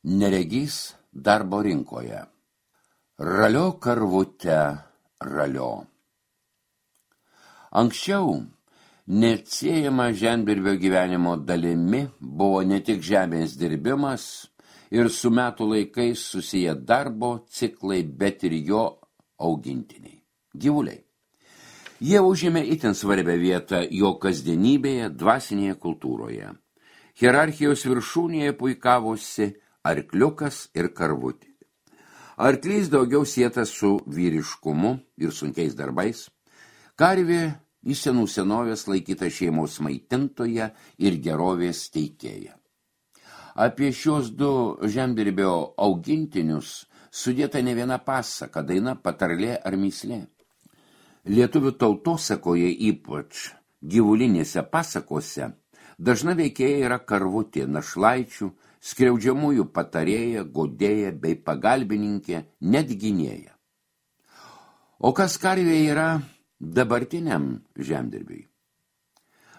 Neregys darbo rinkoje. Ralio karvute, ralio. Anksčiau neatsiejama žemdirbio gyvenimo dalimi buvo ne tik žemės dirbimas ir su metų laikais susiję darbo ciklai, bet ir jo augintiniai, gyvuliai. Jie užėmė itin svarbią vietą jo kasdienybėje, dvasinėje kultūroje. Hierarchijos viršūnėje puikavosi arkliukas ir karvutė. Arklys daugiau sietas su vyriškumu ir sunkiais darbais. Karvė į senų senovės laikyta šeimos maitintoja ir gerovės teikėja. Apie šios du žemdirbio augintinius sudėta ne viena pasaka, daina, patarlė ar mįslė. Lietuvių tautosakoje, ypač gyvulinėse pasakose, dažna veikėja yra karvutė, našlaičių, skriaudžiamųjų patarėja, godėja bei pagalbininkė, net gynėja. O kas karvė yra dabartiniam žemdirbiui?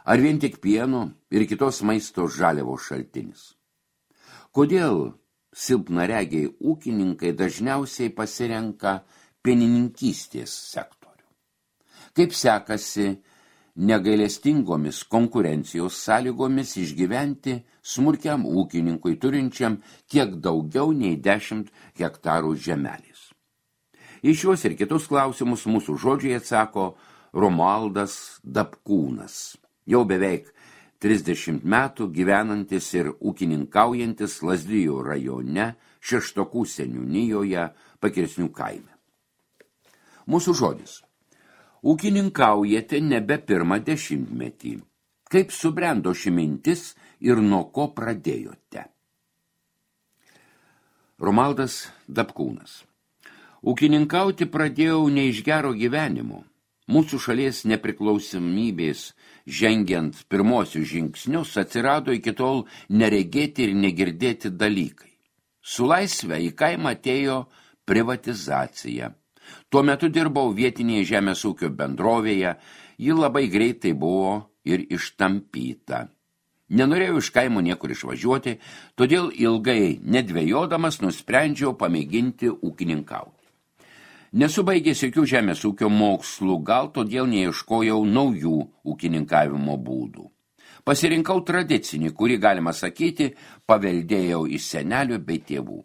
Ar vien tik pieno ir kitos maisto žaliavos šaltinis? Kodėl silpnaregiai ūkininkai dažniausiai pasirenka pienininkystės sektorių? Kaip sekasi negailestingomis konkurencijos sąlygomis išgyventi smulkiam ūkininkui turinčiam kiek daugiau nei 10 hektarų žemelės? Į šios ir kitus klausimus mūsų žodžiai atsako Romualdas Dapkūnas, jau beveik 30 metų gyvenantis ir ūkininkaujantis Lazdijų rajone, Šeštokų seniūnijoje, Pakirsnių kaime. Mūsų žodis. Ūkininkaujate nebe pirmą dešimtmetį. Kaip subrendo ši mintis ir nuo ko pradėjote? Romualdas Dapkūnas. Ūkininkauti pradėjau ne iš gero gyvenimo. Mūsų šalies nepriklausomybės žengiant pirmosius žingsnius atsirado iki tol neregėti ir negirdėti dalykai. Su laisve į kaimą atėjo privatizacija. Tuo metu dirbau vietinėje žemės ūkio bendrovėje, ji labai greitai buvo ir ištampyta. Nenorėjau iš kaimo niekur išvažiuoti, todėl ilgai nedvejodamas nusprendžiau pamėginti ūkininkauti. Nesu baigęs jokių žemės ūkio mokslų, gal todėl neieškojau naujų ūkininkavimo būdų. Pasirinkau tradicinį, kurį, galima sakyti, paveldėjau iš senelių bei tėvų.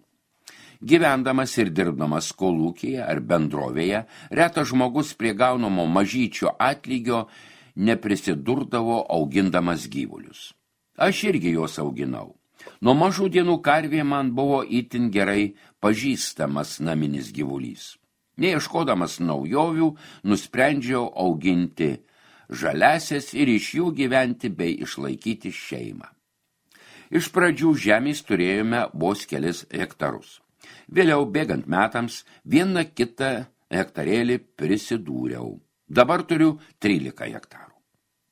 Gyvendamas ir dirbdamas kolūkyje ar bendrovėje, retas žmogus prie gaunamo mažyčio atlygio neprisidurdavo augindamas gyvulius. Aš irgi juos auginau. Nuo mažų dienų karvė man buvo itin gerai pažįstamas naminis gyvulys. Neieškodamas naujovių, nusprendžiau auginti žaliasias ir iš jų gyventi bei išlaikyti šeimą. Iš pradžių žemės turėjome vos kelis hektarus. Vėliau, bėgant metams, vieną kitą hektarėlį prisidūriau. Dabar turiu 13 hektarų.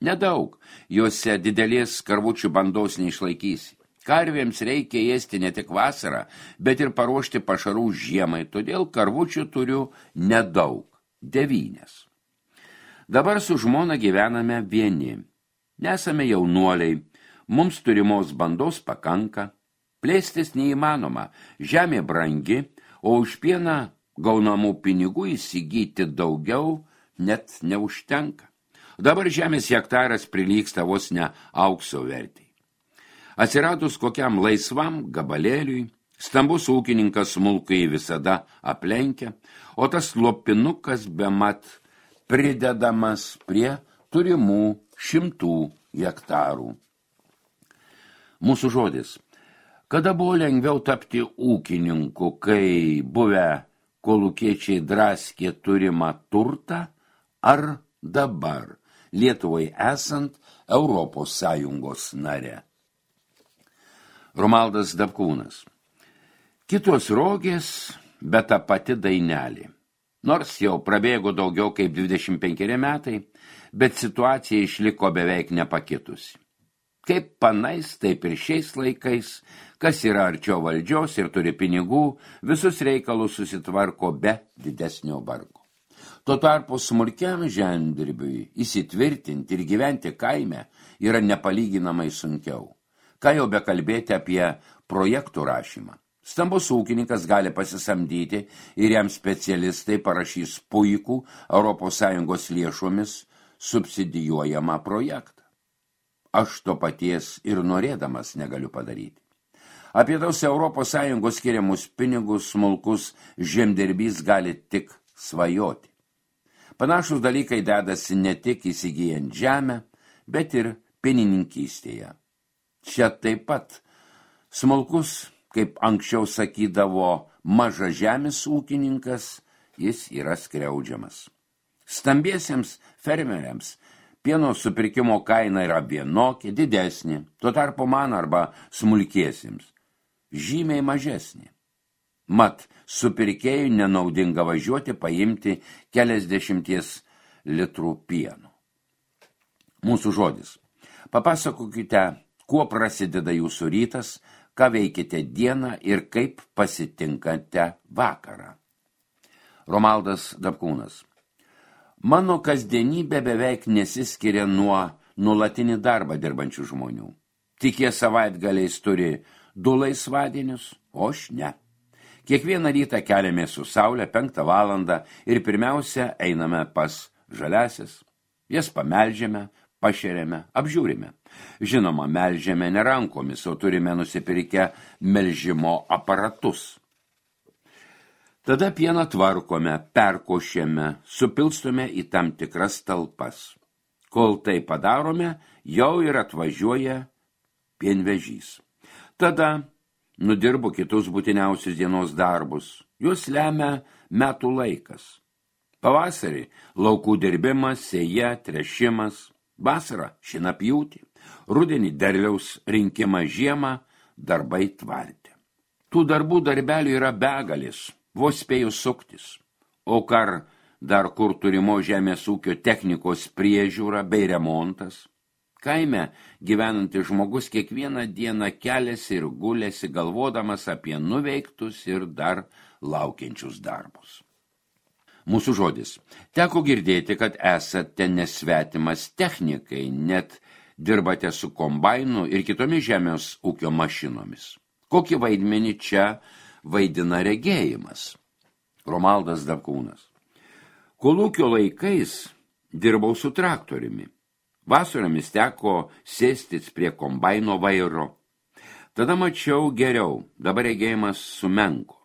Nedaug, juose didelės karvučių bandos neišlaikysi. Karvėms reikia ėsti ne tik vasarą, bet ir paruošti pašarų žiemai, todėl karvučių turiu nedaug, 9. Dabar su žmona gyvename vieni. Nesame jaunuoliai, mums turimos bandos pakanka. Plėstis neįmanoma, žemė brangi, o už pieną gaunamų pinigų įsigyti daugiau net neužtenka. Dabar žemės hektaras prilygsta vos ne aukso vertei. Atsiradus kokiam laisvam gabalėliui, stambus ūkininkas smulkųjį visada aplenkia, o tas lopinukas bemat pridedamas prie turimų 100 hektarų. Mūsų žodis. Kada buvo lengviau tapti ūkininku, kai buvę kolūkiečiai draskė turimą turtą, ar dabar Lietuvai esant Europos Sąjungos nare? Romualdas Dapkūnas. Kitos rogės, bet ta pati dainelė. Nors jau prabėgo daugiau kaip 25 metai, bet situacija išliko beveik nepakitusi. Kaip panais, taip ir šiais laikais, kas yra arčiau valdžios ir turi pinigų, visus reikalus susitvarko be didesnio vargo. Tuo tarpu smulkiam žemdirbiui įsitvirtinti ir gyventi kaime yra nepalyginamai sunkiau. Ką jau bekalbėti apie projektų rašymą. Stambus ūkininkas gali pasisamdyti ir jam specialistai parašys puikų ES lėšomis subsidijuojamą projektą. Aš to paties ir norėdamas negaliu padaryti. Apie tos ES skiriamus pinigus smulkus žemdirbys gali tik svajoti. Panašus dalykai dedasi ne tik įsigijant žemę, bet ir pienininkystėje. Čia taip pat smulkus, kaip anksčiau sakydavo, mažažemis ūkininkas, jis yra skriaudžiamas. Stambiesiems fermeriams pieno supirkimo kaina yra vienokia, didesnė, tuo tarpu man arba smulkiesiems žymiai mažesnė. Mat, supirkėjui nenaudinga važiuoti paimti keliasdešimties litrų pieno. Mūsų žodis. Papasakokite, kuo prasideda jūsų rytas, ką veikite dieną ir kaip pasitinkate vakarą. Romaldas Dapkūnas. Mano kasdienybė beveik nesiskiria nuo nuolatinį darbą dirbančių žmonių. Tik jie savaitgaliais turi 2 laisvadienius, o aš ne. Kiekvieną rytą keliamės su saulė 5 valandą ir pirmiausia einame pas žaliasis. Jas pamelžiame, pašeriame, apžiūrime. Žinoma, melžiame ne rankomis, o turime nusipirkę melžimo aparatus. Tada pieną tvarkome, perkošiame, supilstome į tam tikras talpas. Kol tai padarome, jau ir atvažiuoja pienvežys. Tada nudirbo kitus būtiniausius dienos darbus. Juos lemia metų laikas. Pavasarį laukų dirbimas, sėja, trešimas. Vasarą šienapjūtį. Rudenį derliaus rinkimą, žiemą darbai tvarte. Tų darbų darbelių yra begalis, vos spėjus suktis. O kar dar kur turimo žemės ūkio technikos priežiūra bei remontas. Kaime gyvenantis žmogus kiekvieną dieną keliasi ir gulėsi, galvodamas apie nuveiktus ir dar laukiančius darbus. Mūsų žodis. Teko girdėti, kad esate nesvetimas technikai, net dirbate su kombainu ir kitomis žemės ūkio mašinomis. Kokį vaidmenį čia vaidina regėjimas? Romaldas Dapkūnas. Kolūkio laikais dirbau su traktoriumi. Vasaromis teko sėstis prie kombaino vairo. Tada mačiau geriau, dabar regėjimas sumenko.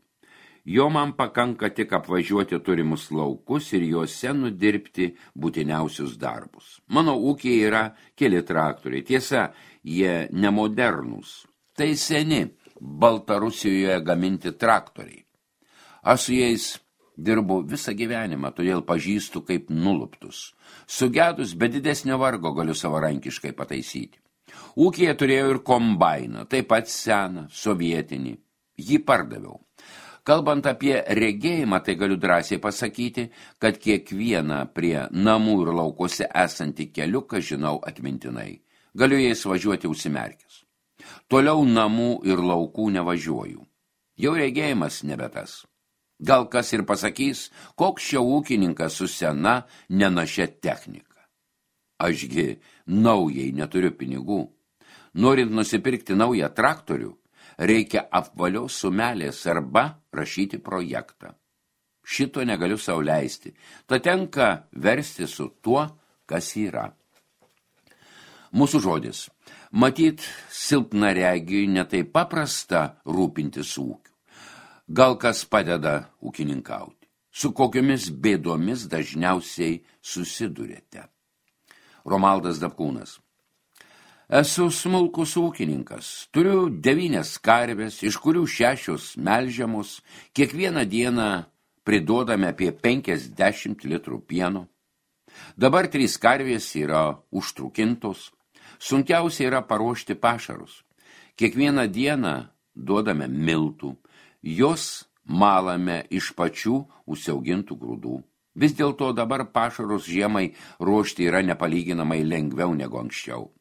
Jo man pakanka tik apvažiuoti turimus laukus ir juose nudirbti būtiniausius darbus. Mano ūkiai yra keli traktoriai. Tiesa, jie nemodernūs. Tai seni Baltarusijoje gaminti traktoriai. Aš su jais dirbu visą gyvenimą, todėl pažįstu kaip nuluptus. Sugedus be didesnio vargo galiu savarankiškai pataisyti. Ūkyje turėjau ir kombainą, taip pat seną, sovietinį. Jį pardaviau. Kalbant apie regėjimą, tai galiu drąsiai pasakyti, kad kiekvieną prie namų ir laukuose esantį keliuką žinau atmintinai. Galiu jais važiuoti užsimerkęs. Toliau namų ir laukų nevažiuoju. Jau regėjimas nebe tas. Gal kas ir pasakys, koks šio ūkininkas su sena, nenašia technika. Ašgi naujai neturiu pinigų. Norint nusipirkti naują traktorių, reikia apvalios sumelės arba rašyti projektą. Šito negaliu sau leisti. Tad tenka versti su tuo, kas yra. Mūsų žodis. Matyt, silpnaregiui netai paprasta rūpintis ūkiu. Gal kas padeda ūkininkauti. Su kokiomis bėdomis dažniausiai susidurėte. Romaldas Dapkūnas. Esu smulkus ūkininkas. Turiu 9 karves, iš kurių 6 melžiamos. Kiekvieną dieną priduodame apie 50 litrų pieno. Dabar 3 karvės yra užtrukintos. Sunkiausia yra paruošti pašarus. Kiekvieną dieną duodame miltų. Jos malame iš pačių užsiaugintų grūdų. Vis dėlto dabar pašarus žiemai ruošti yra nepalyginamai lengviau negu anksčiau.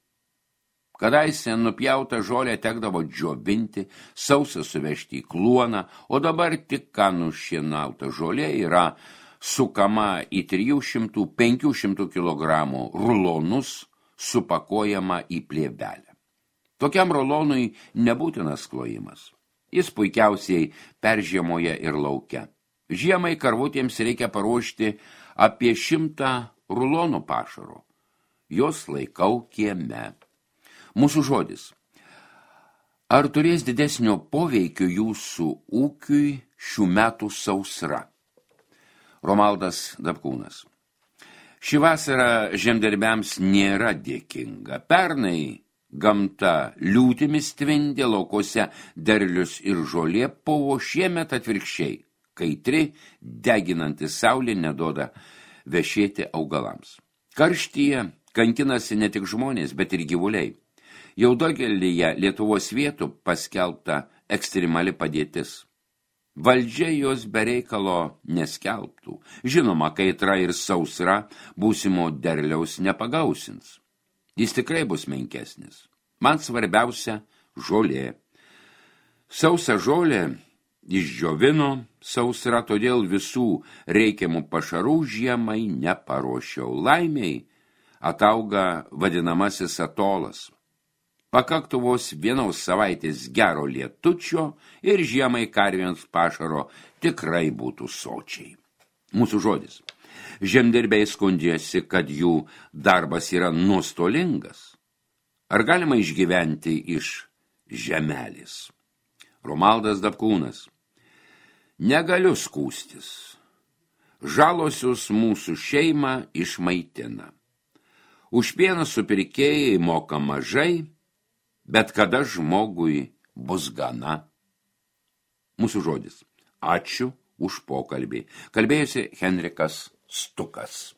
Kadaise nupjautą žolę tekdavo džiovinti, sausą suvežti į kluoną, o dabar tik ką nušienauta žolė yra sukama į 300-500 kg rulonus, supakuojama į plėvelę. Tokiam rulonui nebūtinas klojimas. Jis puikiausiai peržiemoja ir lauke. Žiemai karvutėms reikia paruošti apie 100 rulonų pašaro. Jos laikau kieme. Mūsų žodis. Ar turės didesnio poveikio jūsų ūkiui šių metų sausra? Romaldas Dapkūnas. Ši vasara žemdirbiams nėra dėkinga. Pernai gamta liūtimis tvindė, laukose derlius ir žolė povo, šiemet atvirkščiai. Kaitri, deginanti saulė neduoda vešėti augalams. Karštyje kankinasi ne tik žmonės, bet ir gyvuliai. Jau daugelyje Lietuvos vietų paskelbta ekstremali padėtis. Valdžia jos bereikalo neskelbtų. Žinoma, kaitra ir sausra būsimo derliaus nepagausins. Jis tikrai bus menkesnis. Man svarbiausia žolė. Sausa žolė išdžiovino sausra, todėl visų reikiamų pašarų žiemai neparuošiau. Laimiai atauga vadinamasis atolas. Pakaktų vos vienos savaitės gero lietučio ir žiemai karvėms pašaro tikrai būtų sočiai. Mūsų žodis. Žemdirbiai skundžiasi, kad jų darbas yra nuostolingas. Ar galima išgyventi iš žemelės? Romaldas Dapkūnas. Negaliu skūstis. Žalosius mūsų šeimą išmaitina. Už pieną supirkėjai moka mažai, bet kada žmogui bus gana? Mūsų žodis. Ačiū už pokalbį. Kalbėjosi Henrikas Stukas.